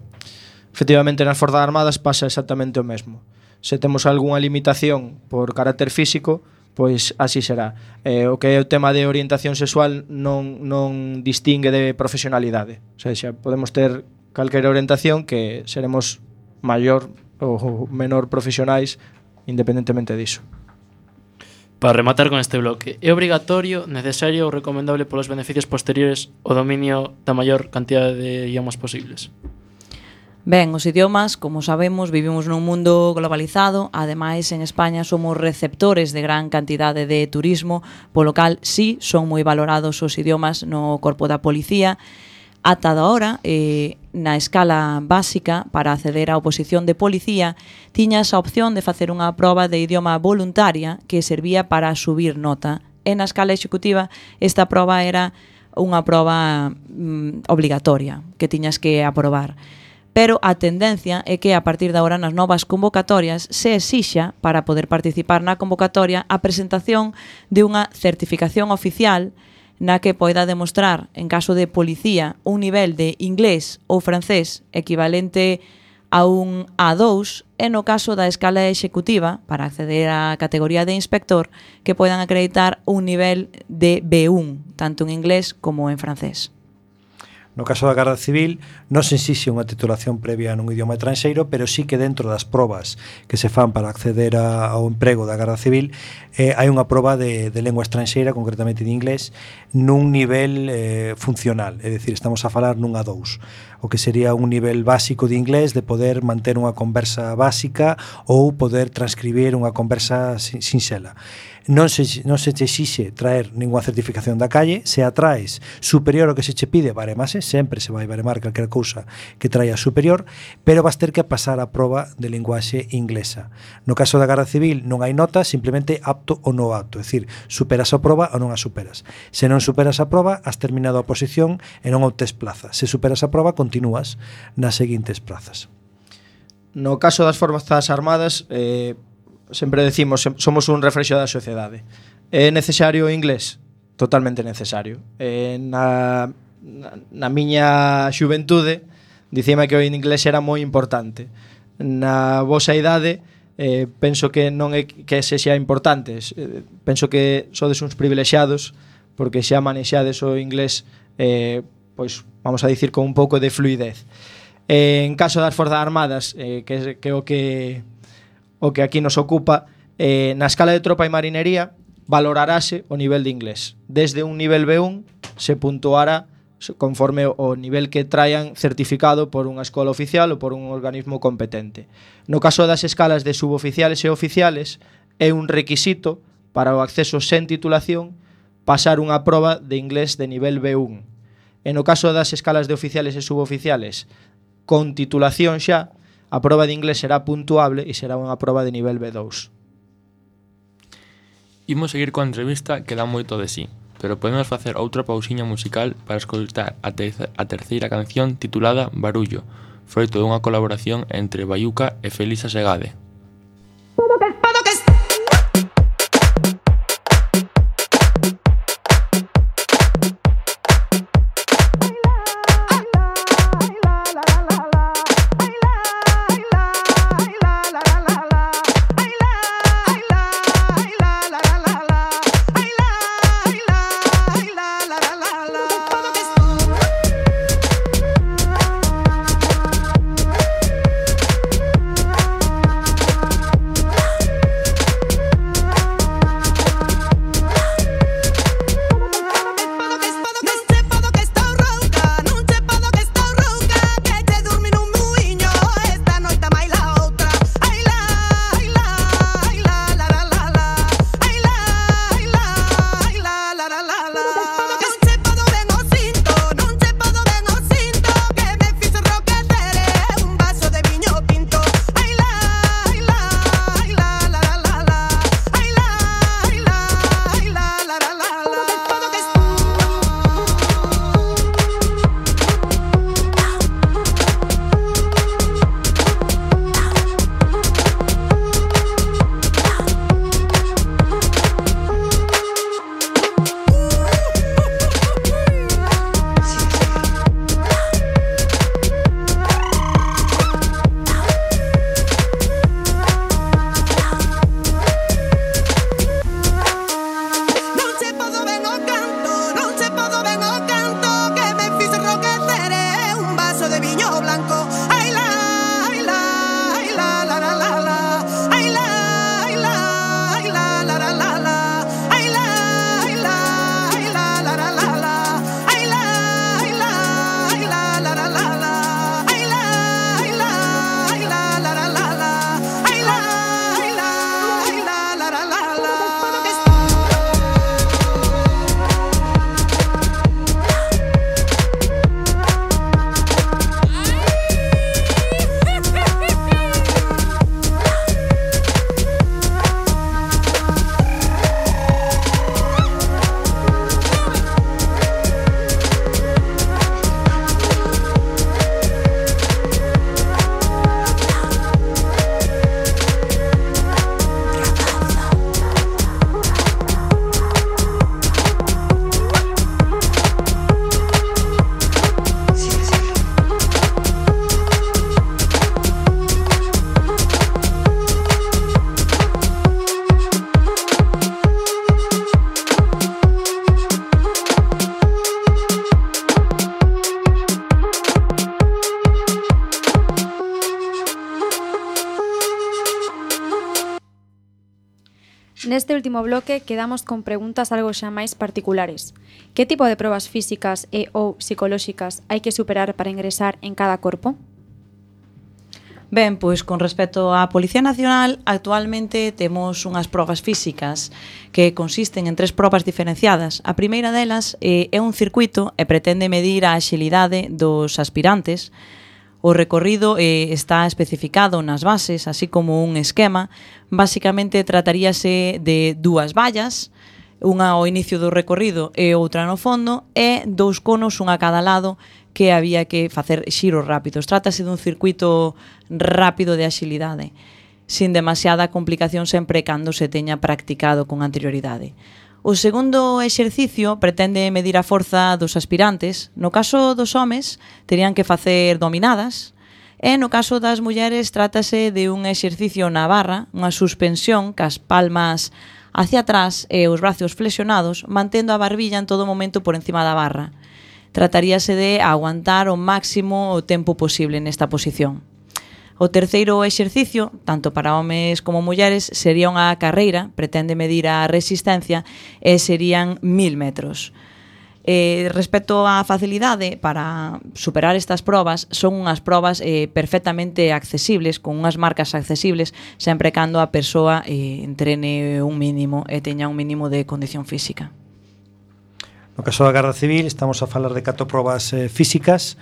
Efectivamente, nas Forzas Armadas pasa exactamente o mesmo. Se temos algunha limitación por carácter físico, pois así será. O que é o tema de orientación sexual non distingue de profesionalidade. O sea, podemos ter calquera orientación que seremos maior ou menor profesionais independentemente diso.
Para rematar con este bloque, é obrigatorio, necesario ou recomendable polos beneficios posteriores o dominio da maior cantidade de idiomas posibles?
Ben, os idiomas, como sabemos, vivimos nun mundo globalizado, ademais en España somos receptores de gran cantidade de turismo, polo cal sí son moi valorados os idiomas no corpo da policía. Ata da hora, na escala básica, para acceder á oposición de policía, tiñas a opción de facer unha proba de idioma voluntaria que servía para subir nota. E na escala executiva, esta proba era unha proba obligatoria, que tiñas que aprobar. Pero a tendencia é que a partir de agora nas novas convocatorias se exixa para poder participar na convocatoria a presentación de unha certificación oficial na que poida demostrar, en caso de policía, un nivel de inglés ou francés equivalente a un A2 e no caso da escala executiva, para acceder á categoría de inspector, que poidan acreditar un nivel de B1, tanto en inglés como en francés.
No caso da Garda Civil non se exixe unha titulación previa nun idioma estranxeiro, pero sí que dentro das probas que se fan para acceder ao emprego da Garda Civil hai unha proba de lengua estranxeira, concretamente de inglés, nun nivel funcional, é dicir, estamos a falar nun A2, o que sería un nivel básico de inglés de poder manter unha conversa básica ou poder transcribir unha conversa sinxela. Non se te exixe traer ninguna certificación da calle, se a traes superior ao que se che pide, baremase, sempre se vai baremar calquera cousa que traia superior, pero vas ter que pasar a proba de linguaxe inglesa. No caso da Garda Civil non hai nota, simplemente apto ou non apto, é dicir, superas a proba ou non a superas. Se non superas a proba, has terminado a oposición e non obtes plaza. Se superas a proba, continúas nas seguintes plazas.
No caso das Forzas Armadas, sempre decimos, somos un reflexo da sociedade. É necesario o inglés? Totalmente necesario. Na miña xuventude dicíame que o inglés era moi importante. Na vosa idade penso que non é que sexa importante. Penso que sodes uns privilexiados porque xa manexades o inglés, pois vamos a dicir con un pouco de fluidez. En caso das Forzas Armadas, que o que aquí nos ocupa, na escala de tropa e marinería valorarase o nivel de inglés. Desde un nivel B1 se puntuará conforme o nivel que traian certificado por unha escola oficial ou por un organismo competente. No caso das escalas de suboficiales e oficiales, é un requisito para o acceso sen titulación pasar unha proba de inglés de nivel B1. E no caso das escalas de oficiales e suboficiales con titulación xa, a proba de inglés será puntuable e será unha proba de nivel B2.
Imos seguir coa entrevista que dá moito de sí, pero podemos facer outra pausiña musical para escoitar a terceira canción titulada Barullo, froito dunha colaboración entre Bayuca e Felisa Segade.
Neste último bloque quedamos con preguntas algo xa máis particulares. Que tipo de probas físicas e ou psicolóxicas hai que superar para ingresar en cada corpo?
Ben, pois con respecto á Policía Nacional, actualmente temos unhas probas físicas que consisten en 3 probas diferenciadas. A primeira delas é un circuito e pretende medir a axilidade dos aspirantes. O recorrido está especificado nas bases, así como un esquema. Básicamente trataríase de 2 vallas, unha ao inicio do recorrido e outra no fondo, e 2 conos, unha a cada lado, que había que facer xiros rápidos. Trátase dun circuito rápido de axilidade, sin demasiada complicación sempre cando se teña practicado con anterioridade. O segundo exercicio pretende medir a forza dos aspirantes. No caso dos homes, terían que facer dominadas, e no caso das mulleres trátase de un exercicio na barra, unha suspensión cas palmas hacia atrás e os brazos flexionados, mantendo a barbilla en todo momento por encima da barra. Trataríase de aguantar o máximo o tempo posible nesta posición. O terceiro exercicio, tanto para homes como mulleres, sería unha carreira, pretende medir a resistencia e serían 1000 metros. Respecto á facilidade para superar estas probas, son unhas probas perfectamente accesibles, con unhas marcas accesibles, sempre cando a persoa entrene un mínimo e teña un mínimo de condición física.
No caso da Garda Civil estamos a falar de 4 probas físicas.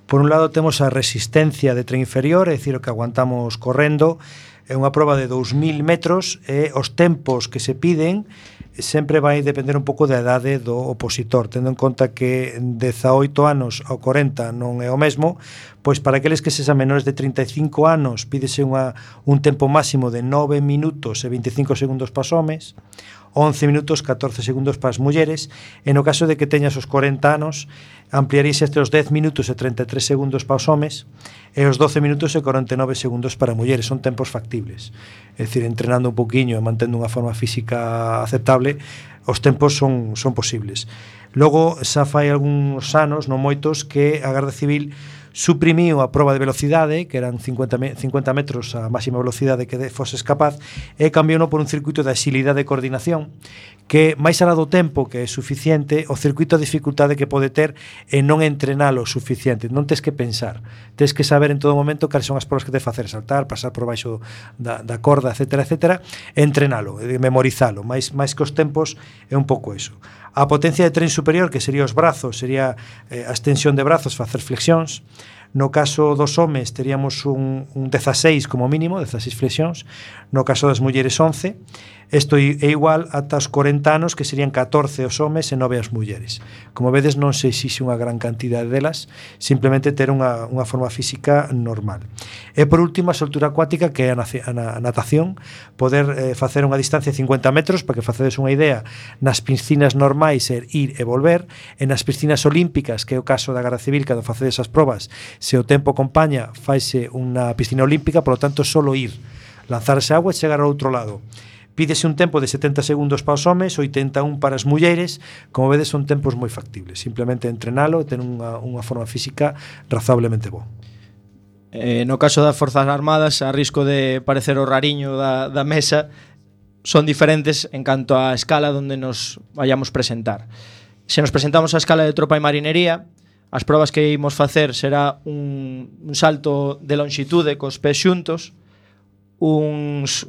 Por un lado temos a resistencia de tren inferior, é dicir, o que aguantamos correndo. É unha proba de 2000 metros e os tempos que se piden sempre vai depender un pouco da idade do opositor, tendo en conta que 18 anos ao 40 non é o mesmo, pois para aqueles que sexan menores de 35 anos pídese un tempo máximo de 9 minutos e 25 segundos para os homes, 11 minutos 14 segundos para as mulleres, e no caso de que teñas os 40 anos ampliaríase este os 10 minutos e 33 segundos para os homes e os 12 minutos e 49 segundos para mulleres. Son tempos factibles, é dicir, entrenando un poquinho e mantendo unha forma física aceptable, os tempos son posibles. Logo, xa fai algúns anos, non moitos, que a Garda Civil suprimiu a proba de velocidade, que eran 50 metros a máxima velocidade que foses capaz, e cambiouno por un circuito de axilidade e coordinación, que máis alá do tempo que é suficiente, o circuito de dificultade que pode ter é non entrenalo suficiente, non tes que pensar, tes que saber en todo momento cales son as probas que te facer, saltar, pasar por baixo da corda, etc., e entrenalo, memorizalo, máis que os tempos é un pouco eso. A potencia de tren superior, que sería os brazos, sería a extensión de brazos, facer flexións. No caso dos homes teríamos un 16 como mínimo, 16 flexións. No caso das mulleres 11. Isto é igual ata os 40 anos, que serían 14 os homes e 9 as mulleres. Como vedes, non se exixe unha gran cantidade delas, simplemente ter unha forma física normal. E por último, a soltura acuática, que é a natación, poder facer unha distancia de 50 metros, para que facedes unha idea, nas piscinas normais é ir e volver, e nas piscinas olímpicas, que é o caso da Garda Civil, cando facedes as probas, se o tempo acompaña, faise unha piscina olímpica, por lo tanto, solo ir, lanzarse a agua e chegar ao outro lado. Pídese un tempo de 70 segundos para os homes, 81 para as mulleres. Como vedes, son tempos moi factibles. Simplemente entrenalo e ter unha forma física razonablemente boa.
No caso das Forzas Armadas, a risco de parecer o rariño da mesa, son diferentes en canto á escala onde nos vayamos presentar. Se nos presentamos á escala de tropa e marinería, as probas que imos facer será un salto de longitude cos pés xuntos, uns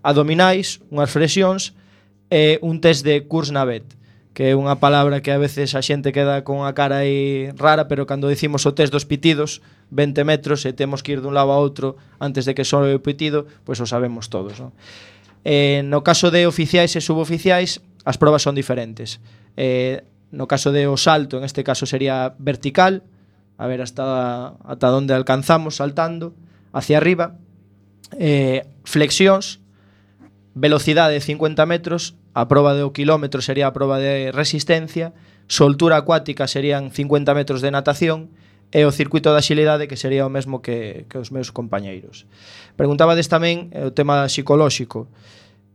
abdominais, unhas flexións e un test de Kurznavet, que é unha palabra que a veces a xente queda con a cara aí rara, pero cando dicimos o test dos pitidos, 20 metros e temos que ir dun lado a outro antes de que soe o pitido, pois o sabemos todos, non? No caso de oficiais e suboficiais, as probas son diferentes. No caso de o salto, en este caso sería vertical, a ver hasta onde alcanzamos saltando, hacia arriba, flexións, velocidade de 50 metros, a proba de o quilómetro sería a proba de resistencia, soltura acuática serían 50 metros de natación e o circuito de axilidade, que sería o mesmo que os meus compañeiros. Preguntabades tamén o tema psicolóxico.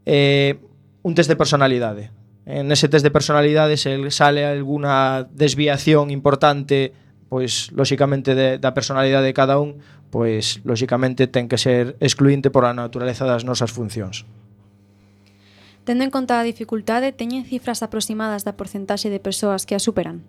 Un test de personalidade. En ese test de personalidade se sale alguna desviación importante, pois lóxicamente da personalidade de cada un, pois lóxicamente ten que ser excluinte por a naturaleza das nosas funcións.
Tendo en conta a dificultade, teñen cifras aproximadas da porcentaxe de persoas que a superan?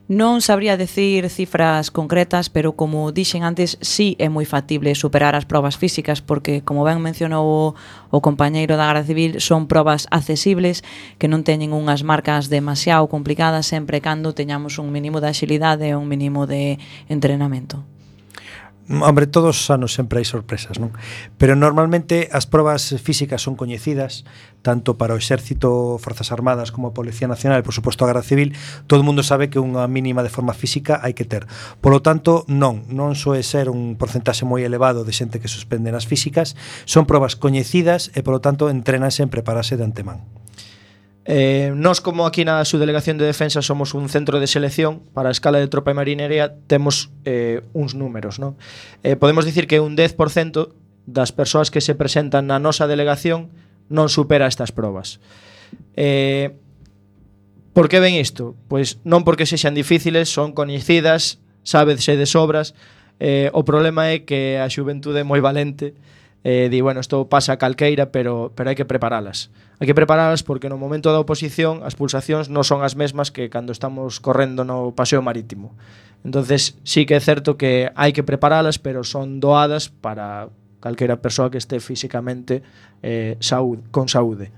Non sabría decir cifras concretas, pero como dixen antes, sí é moi factible superar as probas físicas, porque, como ben mencionou o compañeiro da Garda Civil, son probas accesibles que non teñen unhas marcas demasiado complicadas, sempre cando teñamos un mínimo de axilidade e un mínimo de entrenamento.
Hombre, todos os anos sempre hai sorpresas, non? Pero normalmente as probas físicas son coñecidas tanto para o Exército, Forzas Armadas como a Policía Nacional e, por suposto, a Garda Civil. Todo o mundo sabe que unha mínima de forma física hai que ter. Por lo tanto, non soe ser un porcentaxe moi elevado de xente que suspende nas físicas. Son probas coñecidas e, por lo tanto, entrenanse en prepararse de antemán.
Nós, como aquí na Subdelegación de Defensa somos un centro de selección para a escala de tropa e marinería, temos uns números, non? Podemos dicir que un 10% das persoas que se presentan na nosa delegación non supera estas probas. Por que ven isto? Pois non porque sexan difíciles, son coñecidas, sábese de sobras, O problema é que a xuventude é moi valente, di, bueno, isto pasa a calqueira, pero hai que preparalas. Hai que preparalas porque no momento da oposición as pulsacións non son as mesmas que cando estamos correndo no paseo marítimo. Entonces sí que é certo que hai que preparalas, pero son doadas para calquera persoa que este físicamente con saúde.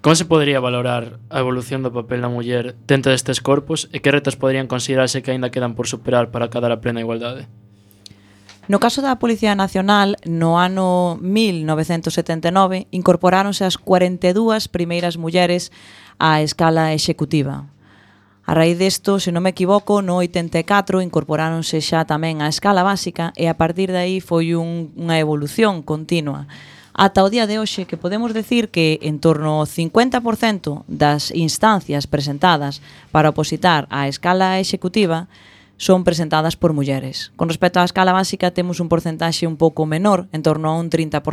Como se podería valorar a evolución do papel da muller dentro destes corpos e que retos poderían considerarse que aínda quedan por superar para acadar a plena igualdade?
No caso da Policía Nacional, no ano 1979 incorporáronse as 42 primeiras mulleres á escala executiva. A raíz desto, se non me equivoco, no 84 incorporáronse xa tamén á escala básica e a partir de aí foi unha evolución continua. Ata o día de hoxe que podemos decir que en torno ao 50% das instancias presentadas para opositar á escala executiva son presentadas por mulleres. Con respecto á escala básica temos un porcentaxe un pouco menor, en torno a un 30%,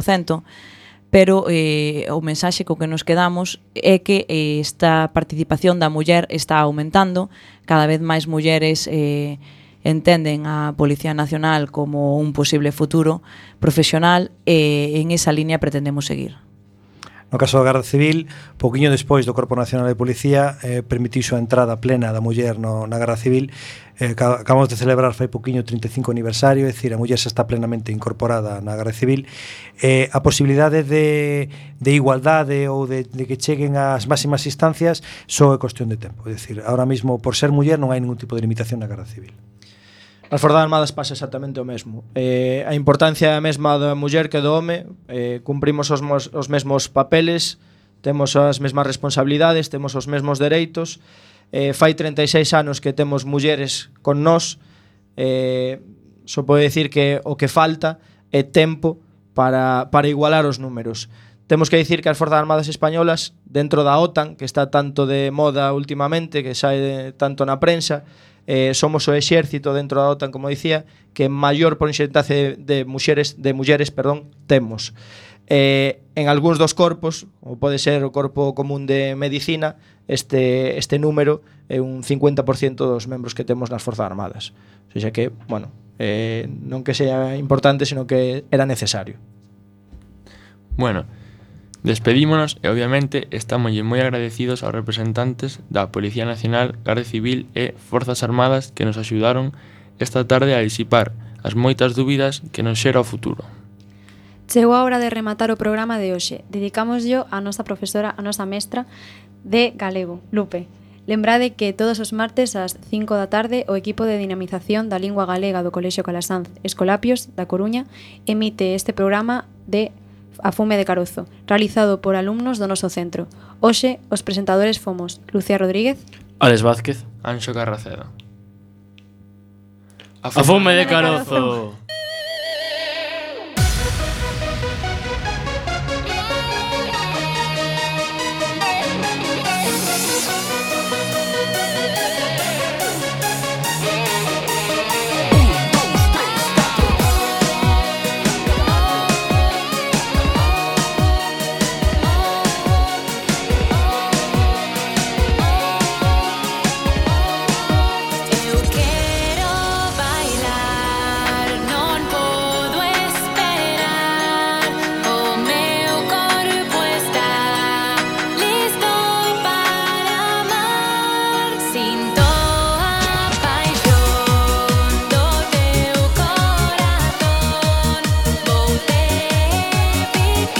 pero o mensaxe co que nos quedamos é que esta participación da muller está aumentando, cada vez máis mulleres entenden a Policía Nacional como un posible futuro profesional e en esa línea pretendemos seguir.
No caso da Garda Civil, poquinho despois do Corpo Nacional de Policía permitiuse a entrada plena da muller na Garda Civil. Acabamos de celebrar fai poquinho o 35 aniversario, é dicir, a muller xa está plenamente incorporada na Garda Civil. A posibilidade de igualdade ou de que cheguen ás máximas instancias só é cuestión de tempo. É dicir, ahora mesmo, por ser muller, non hai ningún tipo de limitación na Garda Civil.
Nas Forças Armadas pasa exactamente o mesmo. A importancia é a mesma da muller que do home, cumprimos os mesmos papeles, temos as mesmas responsabilidades, temos os mesmos dereitos. Fai 36 anos que temos mulleres con nós, só pode dicir que o que falta é tempo para igualar os números. Temos que dicir que as Forzas Armadas españolas, dentro da OTAN, que está tanto de moda últimamente, que sae tanto na prensa, somos o exército dentro da OTAN, como dicía, que maior porcentaxe de mulleres temos. En algúns dos corpos, ou pode ser o Corpo Común de Medicina, este número é un 50% dos membros que temos nas Forzas Armadas. O sea que, bueno, non que sea importante, sino que era necesario.
Bueno, despedímonos e obviamente estamos moi agradecidos aos representantes da Policía Nacional, Garda Civil e Forzas Armadas que nos axudaron esta tarde a disipar as moitas dúbidas que nos xera o futuro.
Chegou a hora de rematar o programa de hoxe. Dedicámoslo a nosa profesora, a nosa mestra de galego, Lupe. Lembrade que todos os martes ás 5 da tarde o equipo de dinamización da lingua galega do Colexio Calasanz Escolapios da Coruña emite este programa de A fume de carozo, realizado por alumnos do noso centro. Hoxe, os presentadores fomos Lucía Rodríguez,
Alex Vázquez,
Anxo Carracedo.
A fume de carozo.